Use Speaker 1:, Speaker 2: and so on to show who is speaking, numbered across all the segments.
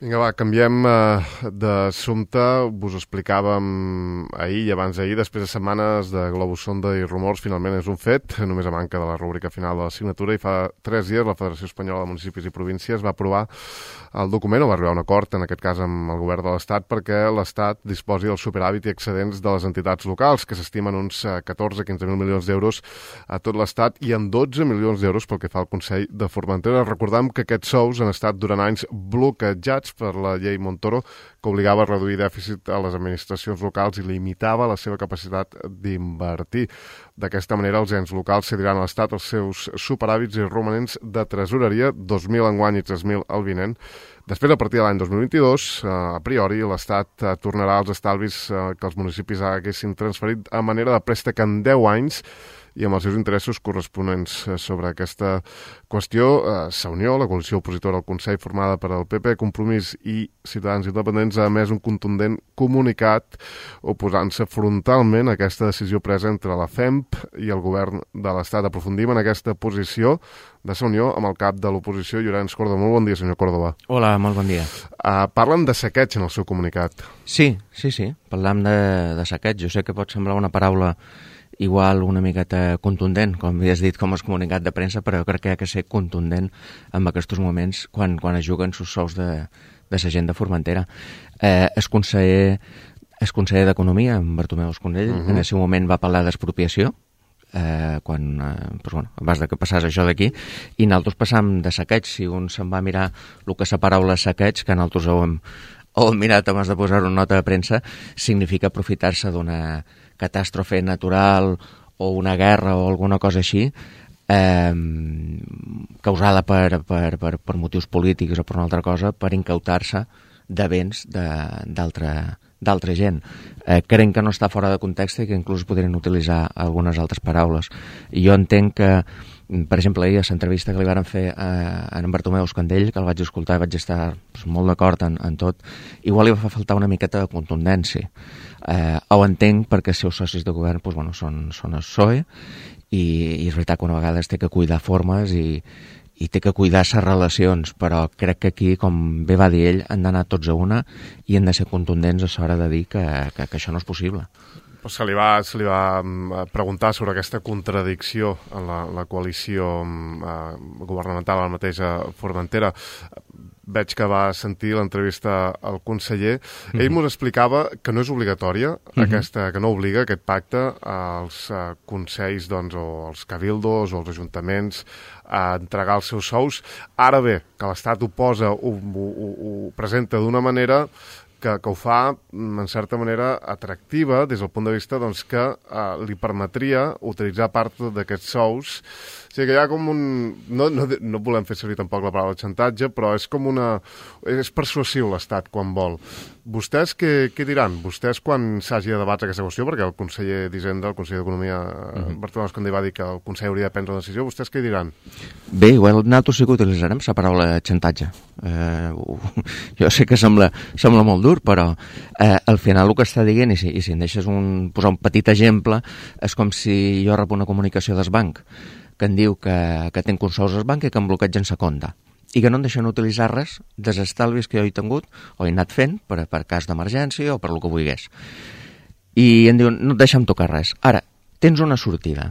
Speaker 1: Vinga, va, canviem d'assumpte. Us explicàvem ahir i abans d'ahir, després de setmanes de globus sonda i rumors, finalment és un fet, només a manca de la rúbrica final de la signatura, i fa 3 dies la Federació Espanyola de Municipis i Províncies va aprovar el document, o va arribar a un acord, en aquest cas amb el govern de l'Estat, perquè l'Estat disposi del superàvit i excedents de les entitats locals, que s'estimen uns 14-15.000 milions d'euros a tot l'Estat i en 12 milions d'euros pel que fa al Consell de Formentera. Recordem que aquests sous han estat durant anys bloquejats per la llei Montoro, que obligava a reduir dèficit a les administracions locals i limitava la seva capacitat d'invertir. D'aquesta manera, els ens locals cediran a l'Estat els seus superàvits i romanents de tresoreria, 2.000 enguany i 3.000 el vinent. Després, a partir de l'any 2022, a priori, l'Estat tornarà als estalvis que els municipis haguessin transferit a manera de préstec en 10 anys i amb els seus interessos corresponents. Sobre aquesta qüestió, Unió, la coalició opositora al Consell formada per el PP, Compromís i Ciutadans Independents, ha emès un contundent comunicat oposant-se frontalment a aquesta decisió presa entre la FEMP i el govern de l'Estat. Aprofundim en aquesta posició de Unió amb el cap de l'oposició, Llorenç Córdoba. Molt bon dia, senyor Córdoba.
Speaker 2: Hola, molt bon dia.
Speaker 1: Parlen de saqueig en el seu comunicat.
Speaker 2: Sí. Parlam de saqueig. Jo sé que pot semblar una paraula igual una miqueta contundent, com havies dit, com és comunicat de premsa, però jo crec que hi ha que ser contundent en aquests moments quan es juguen sus sous de la gent de Formentera. El conseller d'Economia, en Bartomeu Escondell, en el seu moment va parlar d'expropiació, abans que passés això d'aquí, i nosaltres passam de saqueig. Si un se'n va mirar el que és la paraula saqueig, que nosaltres ho hem mirat abans de posar-ho en nota de premsa, significa aprofitar-se d'una catàstrofe natural o una guerra o alguna cosa així, causada per motius polítics o per una altra cosa, per incautar-se de béns d'altra gent. Crec que no està fora de context i que inclús podrien utilitzar algunes altres paraules. Jo entenc que, per exemple, ahir a l'entrevista que li varen fer a en Bartomeu Escondell, que el vaig escoltar i vaig estar molt d'acord en tot, igual li va faltar una miqueta de contundència. Ho entenc perquè els seus socis de govern són el PSOE i és veritat que una vegada es té que cuidar formes i té que cuidar les relacions, però crec que aquí, com bé va dir ell, han d'anar tots a una i han de ser contundents a l'hora de dir que això no és possible.
Speaker 1: Se li va preguntar sobre aquesta contradicció en la coalició governamental a la mateixa Formentera. Veig que va sentir l'entrevista al conseller. Ell m'ho explicava que no és obligatòria, que no obliga aquest pacte als consells o als cabildos o als ajuntaments a entregar els seus sous. Ara bé, que l'Estat ho posa, ho presenta d'una manera que ho fa, en certa manera, atractiva des del punt de vista que li permetria utilitzar part d'aquests sous. O sigui que hi ha com un... No volem fer servir tampoc la paraula xantatge, però és com una... És persuasiu l'Estat quan vol. Vostès què diran? Vostès quan s'hagi de debatre aquesta qüestió, perquè el conseller d'Hisenda, el conseller d'Economia, Bartomeu Escondell, va dir que el Consell hauria de prendre una decisió, vostès què diran?
Speaker 2: Bé, igual nosaltres sí que utilitzarem la paraula xantatge. Jo sé que sembla molt dur, però al final el que està dient, i si em deixes posar un petit exemple, és com si jo rep una comunicació del banc que em diu que tenc uns sous al banc i que em bloquegen la compte i que no em deixen utilitzar res dels estalvis que jo he tingut o he anat fent per cas d'emergència o per el que vulgués. I em diuen, no et deixem tocar res. Ara, tens una sortida.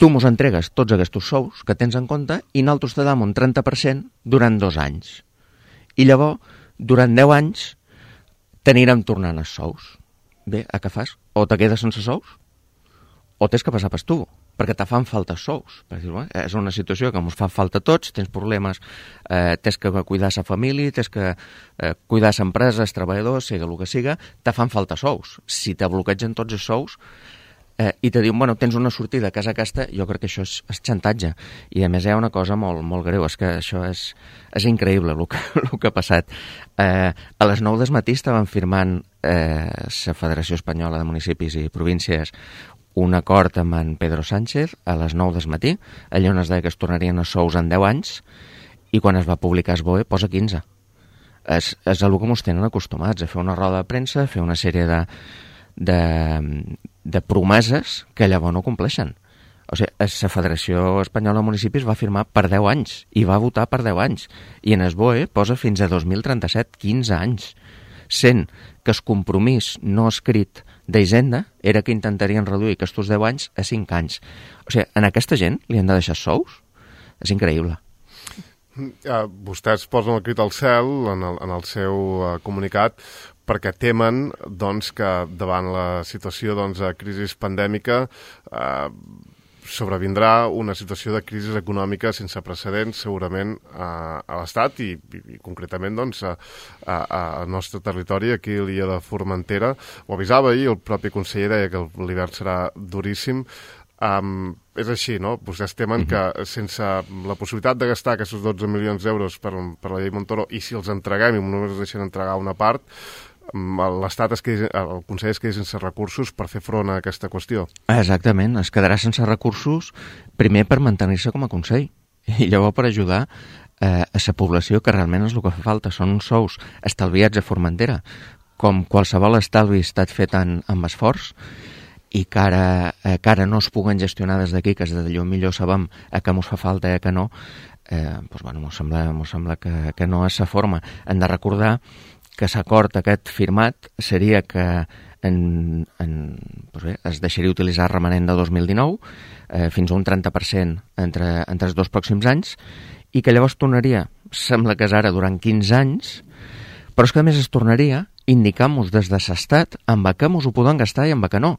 Speaker 2: Tu mos entregues tots aquests sous que tens en compte i nosaltres te dam un 30% durant 2 anys. I llavors, durant 10 anys, t'anirem tornant els sous. Bé, a què fas? O te quedes sense sous o tens que passar per tu, perquè te fan falta sous. És una situació que ens fa falta a tots, tens problemes, tens que cuidar la família, tens que cuidar l'empresa, els treballadors, sigui el que siga, te fan falta sous. Si te bloquegen tots els sous i te diuen, bueno, tens una sortida a casa aquesta, jo crec que això és xantatge. I a més hi ha una cosa molt greu, és que això és increïble el que ha passat. A les 9 del matí estaven firmant la Federació Espanyola de Municipis i Províncies un acord amb en Pedro Sánchez a les 9 del matí, allà on es deia que es tornarien els sous en 10 anys, i quan es va publicar el BOE posa 15. És el que ens tenen acostumats, a fer una roda de premsa, a fer una sèrie de promeses que llavors no compleixen. O sigui, la Federació Espanyola de Municipis va firmar per 10 anys i va votar per 10 anys. I en el BOE posa fins a 2037, 15 anys. Sent que el compromís no escrit d'Hisenda era que intentarien reduir aquests 10 anys a 5 anys. O sigui, en aquesta gent li han de deixar sous? És increïble.
Speaker 1: Vostès posen el crit al cel en el seu comunicat perquè temen doncs, que davant la situació de crisi pandèmica sobrevindrà una situació de crisi econòmica sense precedents segurament a l'Estat i concretament doncs, al nostre territori, aquí a l'illa de Formentera. Ho avisava ahir, el propi conseller deia que l'hivern serà duríssim. És així, no? Vostès temen que sense la possibilitat de gastar aquests 12 milions d'euros per la llei Montoro, i si els entreguem i només ens deixen entregar una part, l'Estat el Consell es quedi sense recursos per fer front a aquesta qüestió.
Speaker 2: Exactament, es quedarà sense recursos primer per mantenir-se com a Consell i llavors per ajudar a la població, que realment és el que fa falta, són uns sous estalviats a Formentera, com qualsevol estalvi ha estat fet amb esforç, i que ara no es puguen gestionar des d'aquí, que és d'allò millor sabem que mos fa falta i que no, doncs, bueno, mos sembla que no és la forma. Hem de recordar que l'acord aquest firmat seria que doncs bé, es deixaria utilitzar el remanent de 2019 fins a un 30% entre els 2 pròxims anys, i que llavors tornaria, sembla que és ara durant 15 anys, però és que a més es tornaria indicant-nos des de l'Estat amb què mos ho poden gastar i amb què no.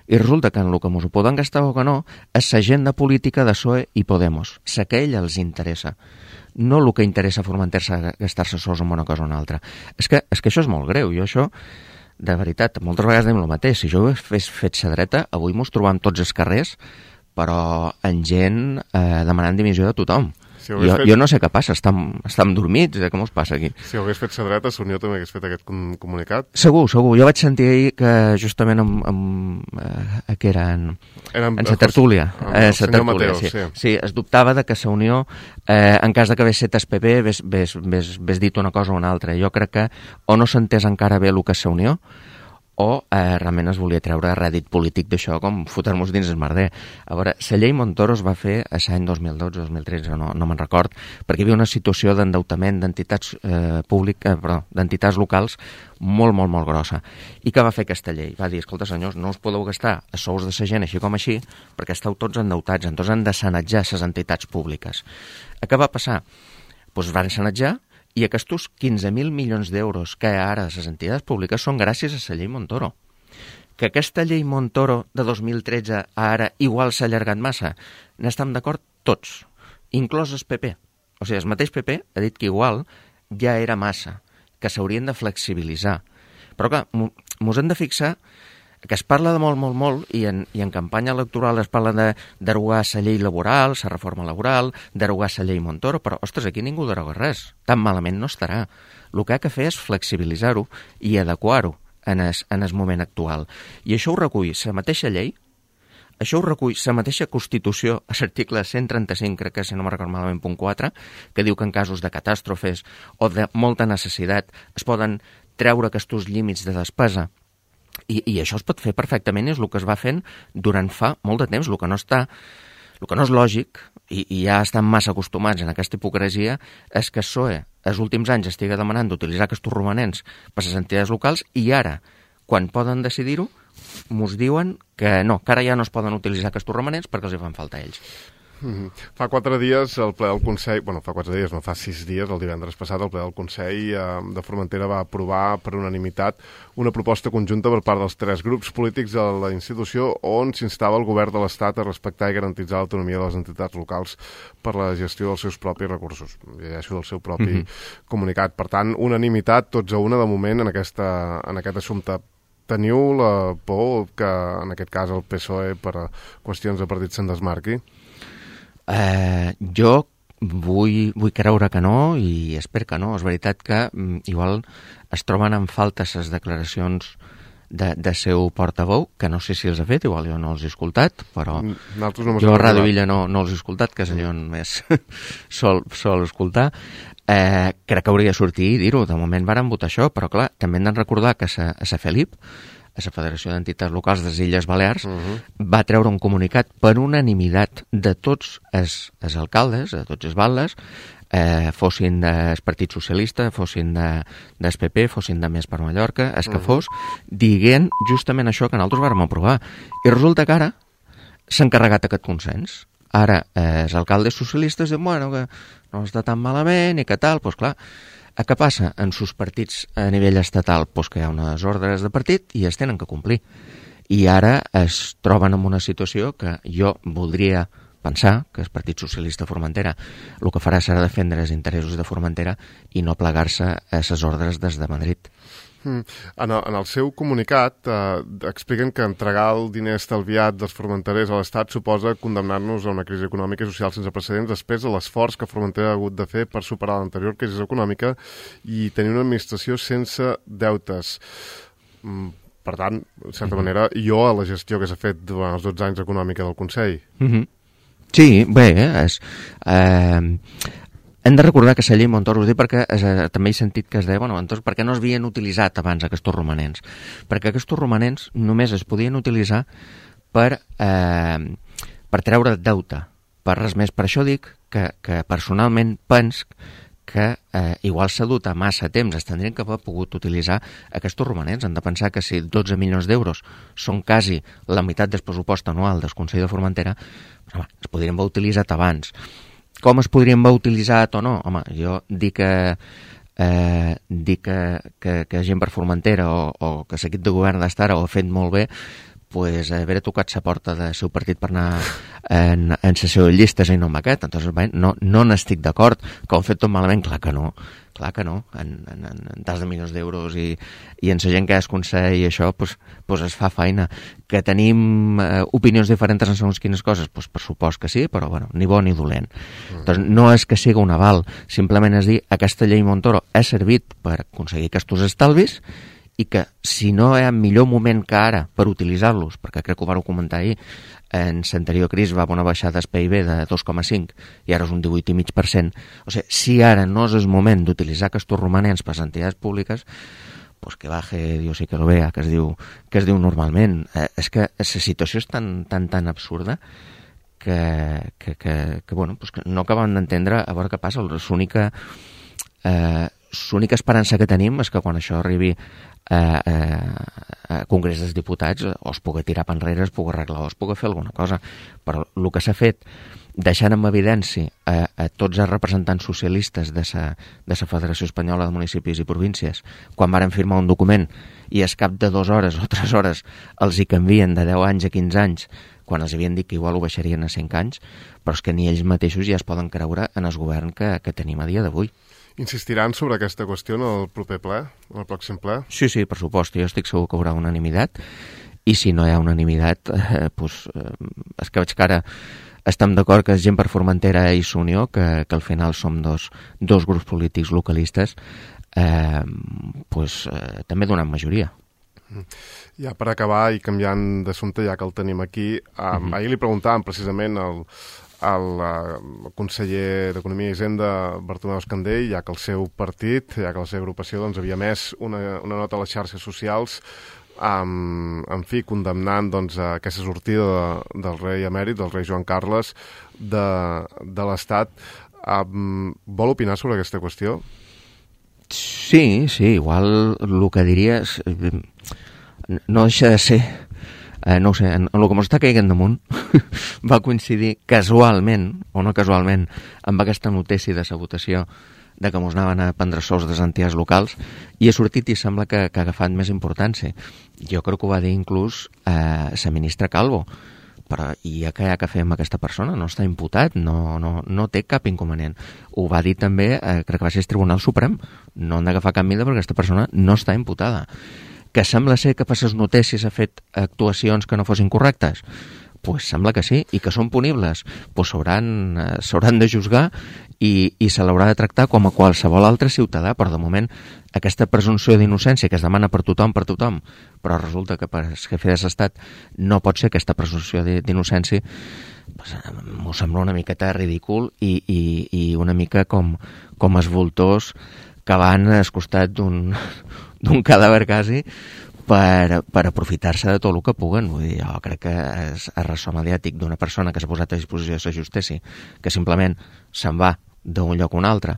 Speaker 2: I resulta que en el que mos ho poden gastar o que no és l'agenda política de PSOE i Podemos, la que a ell els interessa, no el que interessa Formentar-se gastar-se sous en una cosa o una altra. És que això és molt greu. Jo això, de veritat, moltes vegades diem el mateix. Si jo hagués fet la dreta, avui mos trobam tots els carrers, però en gent demanant dimissió de tothom. Si jo no sé què passa, estem dormits, què mos passa aquí?
Speaker 1: Si ho hagués fet la dreta, l'Unió també hagués fet aquest comunicat?
Speaker 2: Segur. Jo vaig sentir ahir que justament que era en la tertúlia.
Speaker 1: El senyor Mateo,
Speaker 2: sí. Es dubtava de que la Unió, en cas de que hagués set el PP, hagués dit una cosa o una altra. Jo crec que o no s'entès encara bé el que és la Unió, o realment es volia treure rèdit polític d'això, com fotre-nos dins el merder. A veure, la llei Montoro es va fer l'any 2012-2013, no me'n record, perquè hi havia una situació d'endeutament d'entitats d'entitats locals molt, molt, molt grossa. I què va fer aquesta llei? Va dir, escolta, senyors, no us podeu gastar a sous de la gent així com així, perquè esteu tots endeutats, entonces han de sanatjar les entitats públiques. Què va passar? Doncs van sanatjar, i aquests 15.000 milions d'euros que ara les entitats públiques són gràcies a la llei Montoro. Que aquesta llei Montoro de 2013 a ara igual s'ha allargat massa, n'estem d'acord tots, inclòs el PP. O sigui, el mateix PP ha dit que igual ja era massa, que s'haurien de flexibilitzar. Però clar, mos hem de fixar que es parla de molt, i en campanya electoral es parla de derogar la llei laboral, la reforma laboral, derogar la llei Montoro, però, ostres, aquí ningú deroga res. Tan malament no estarà. El que ha de fer és flexibilitzar-ho i adequar-ho en el moment actual. I això ho recull la mateixa llei, això ho recull la mateixa Constitució, a l'article 135, crec que si no me'n recordo malament, punt 4, que diu que en casos de catàstrofes o de molta necessitat es poden treure aquests límits de despesa. I això es pot fer perfectament, és el que es va fent durant fa molt de temps. El que no és lògic, i ja estan massa acostumats en aquesta hipocresia, és que el PSOE els últims anys estigui demanant d'utilitzar aquests romanents per les entitats locals i ara, quan poden decidir-ho, mos diuen que no, que ara ja no es poden utilitzar aquests romanents perquè els hi fan falta a ells.
Speaker 1: Fa 4 dies el ple del Consell, fa 4 dies, no, fa 6 dies, el divendres passat, el ple del Consell de Formentera va aprovar per unanimitat una proposta conjunta per part dels 3 grups polítics de la institució on s'instava el govern de l'Estat a respectar i garantitzar l'autonomia de les entitats locals per la gestió dels seus propis recursos. Llegeixo del seu propi comunicat. Per tant, unanimitat, tots a una de moment en aquest assumpte. Teniu la por que, en aquest cas, el PSOE per qüestions de partit se'n desmarqui?
Speaker 2: Jo vull creure que no i espero que no. És veritat que igual es troben en falta les declaracions de seu portaveu, que no sé si els ha fet, igual jo no els he escoltat, però jo a Ràdio Illa no els he escoltat, que és allò on més sol escoltar. Crec que hauria de sortir i dir-ho. De moment varen votar això, però clar, també hem de recordar que a Felip a la Federació d'Entitats Locals de les Illes Balears, va treure un comunicat per unanimitat de tots els alcaldes, de tots els batlles, fossin del Partit Socialista, fossin del PP, fossin de Més per Mallorca, el que fos, dient justament això que nosaltres vàrem aprovar. I resulta que ara s'ha encarregat aquest consens. Ara, els alcaldes socialistes diuen, bueno, que no està tan malament i que tal, doncs clar, què passa en sus partits a nivell estatal? Doncs que hi ha unes ordres de partit i es tenen que complir. I ara es troben en una situació que jo voldria pensar que el Partit Socialista de Formentera el que farà serà defendre els interessos de Formentera i no plegar-se a les ordres des de Madrid.
Speaker 1: En el seu comunicat expliquen que entregar el diner estalviat dels formenterers a l'Estat suposa condemnar-nos a una crisi econòmica i social sense precedents després de l'esforç que Formentera ha hagut de fer per superar l'anterior crisi econòmica i tenir una administració sense deutes. Per tant, de certa manera, jo a la gestió que s'ha fet durant els 12 anys econòmica del Consell.
Speaker 2: Sí, bé, hem de recordar que la llei Montoro, us dic perquè també he sentit que es deia, bueno, entonces, per què no es havien utilitzat abans aquests romanents? Perquè aquests romanents només es podien utilitzar per treure deute, per res més. Per això dic que personalment penso que igual s'ha dut a massa temps, es tindrien que haver pogut utilitzar aquests romanents. Hem de pensar que si 12 milions d'euros són quasi la meitat del pressupost anual del Consell de Formentera, es podrien haver utilitzat abans. Com es podrien haver utilitzat o no? Home, jo dic que gent per Formentera o que l'equip de govern d'estar ho ha fet molt bé, pues haver tocat la porta del seu partit per anar en la seva llista i no amb aquest. Entonces, bé, no n'estic d'acord. Que ho han fet tot malament? Clar que no. En tants de milions d'euros i en la gent que és Consell i això, pues es fa feina. Que tenim opinions diferents en segons quines coses? Pues per supost que sí, però bueno, ni bo ni dolent. Entonces, no és que sigui un aval, simplement és dir, aquesta llei Montoro ha servit per aconseguir aquests estalvis i que si no hi ha millor moment que ara per utilitzar-los, perquè crec que ho vau comentar ahir, en l'anterior crisi va haver una baixada del PIB de 2,5 i ara és un 18,5%. O sigui, si ara no és el moment d'utilitzar aquests romanents per a les entitats públiques, pues que baje Dios y que lo vea, que es diu normalment. És que la situació és tan absurda que bueno, pues que no acabem d'entendre a veure què passa. L'única esperança que tenim és que quan això arribi a Congrés dels Diputats o es pugui tirar per enrere, es pugui arreglar o es pugui fer alguna cosa. Però el que s'ha fet deixant en evidència a tots els representants socialistes de la Federació Espanyola de Municipis i Províncies quan varen firmar un document i al cap de 2 hores o 3 hores els hi canvien de 10 anys a 15 anys quan els havien dit que igual ho baixarien a 5 anys, però és que ni ells mateixos ja es poden creure en el govern que tenim a dia d'avui.
Speaker 1: Insistiran sobre aquesta qüestió en el proper ple, en el pròxim ple?
Speaker 2: Sí, per supost. Jo estic segur que hi haurà unanimitat i si no hi ha unanimitat, és que veig que ara estem d'acord que és gent per Formentera i Unió, que al final som dos grups polítics localistes, també donen majoria.
Speaker 1: Ja per acabar i canviant d'assumpte, ja que el tenim aquí, ahir li preguntàvem precisament al conseller d'Economia i Hisenda, Bartomeu Escandell, ja que el seu partit, ja que la seva agrupació havia emès una nota a les xarxes socials en fi, condemnant aquesta sortida del rei emèrit, del rei Joan Carles, de l'Estat. Vol opinar sobre aquesta qüestió?
Speaker 2: Sí, igual el que diria és... No deixa de ser... no ho sé, en el que ens està caigant damunt va coincidir casualment, o no casualment, amb aquesta notícia de la votació de que ens anaven a prendre sous de les entitats locals i ha sortit i sembla que ha agafat més importància. Jo crec que ho va dir inclús la ministra Calvo, però i ja que fer amb aquesta persona? No està imputat, no té cap inconvenient. Ho va dir també, crec que va ser el Tribunal Suprem, no han d'agafar cap mida perquè aquesta persona no està imputada. Que sembla ser que per les notícies ha fet actuacions que no fossin correctes? Pues sembla que sí, i que són punibles. Pues s'hauran de juzgar i se l'haurà de tractar com a qualsevol altre ciutadà, però de moment aquesta presumpció d'innocència que es demana per tothom, però resulta que per el jefe de l'Estat no pot ser aquesta presumpció d'innocència, pues, m'ho sembla una miqueta ridícul i una mica com els voltors que van al costat d'un cadàver quasi per aprofitar-se de tot el que puguen. Vull dir, jo crec que és el ressò mediàtic d'una persona que s'ha posat a disposició de la justícia, que simplement se'n va d'un lloc a un altre,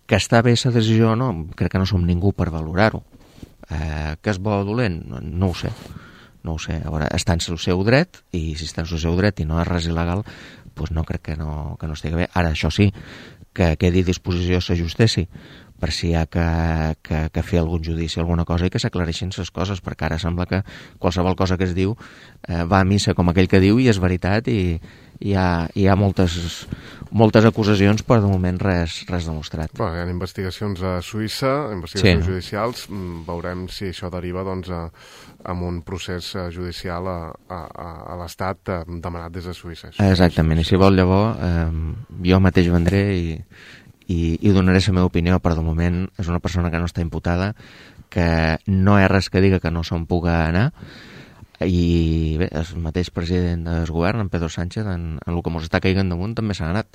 Speaker 2: que està bé la decisió o no, crec que no som ningú per valorar-ho. Que és bo o dolent? No ho sé. No ho sé. A veure, està en el seu dret, i si està en el seu dret i no és res il·legal, doncs no crec que no estigui bé. Ara, això sí, que quedi a disposició de la justícia per si hi ha que fer algun judici o alguna cosa i que s'aclareixin les coses, perquè ara sembla que qualsevol cosa que es diu va a missa com aquell que diu i és veritat, i hi ha moltes acusacions, però de moment res demostrat.
Speaker 1: Bé, hi ha investigacions a Suïssa, investigacions judicials, veurem si això deriva doncs, amb un procés judicial a l'Estat demanat des de Suïssa.
Speaker 2: Exactament, i si vol llavors jo mateix vendré i donaré la meva opinió, però de moment és una persona que no està imputada, que no hi ha res que diga que no se'n puga anar, i bé, el mateix president del govern, en Pedro Sánchez, en el que mos està caigant damunt, també s'ha anat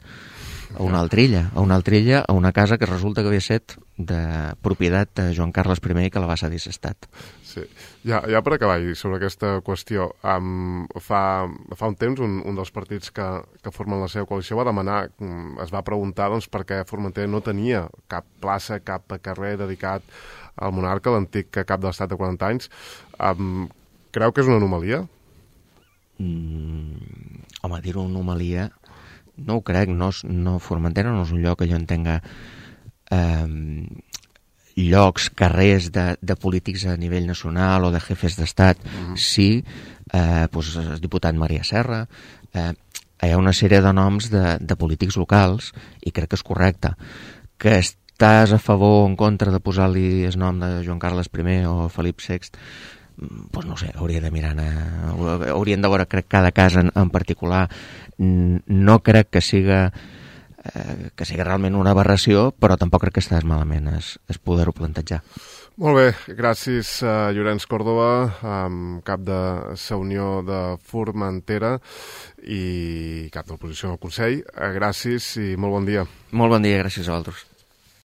Speaker 2: a una altra illa, a una casa que resulta que havia estat de propietat de Joan Carles I i que la va cedir l'Estat.
Speaker 1: Sí. Ja per acabar, sobre aquesta qüestió, fa un temps un dels partits que formen la seva coalició va demanar, es va preguntar doncs, per què Formentera no tenia cap plaça, cap carrer dedicat al monarca, l'antic cap de l'Estat de 40 anys. Creu que és una anomalia?
Speaker 2: Home, dir-ho anomalia no ho crec. No, Formentera no és un lloc que jo entenga llocs, carrers de polítics a nivell nacional o de jefes d'estat. Sí, doncs el diputat Maria Serra, hi ha una sèrie de noms de polítics locals, i crec que és correcte. Que estàs a favor o en contra de posar-li el nom de Joan Carles I o Felip VI, doncs no sé, hauria de mirar, haurien de veure, crec, cada cas en particular. No crec que siga realment una aberració, però tampoc crec que estàs malament es poder-ho plantejar.
Speaker 1: Molt bé, gràcies a Llorenç Còrdova, cap de la Unió de Formentera i cap de l'oposició al Consell. Gràcies i molt bon dia.
Speaker 2: Molt bon dia, gràcies a vosaltres.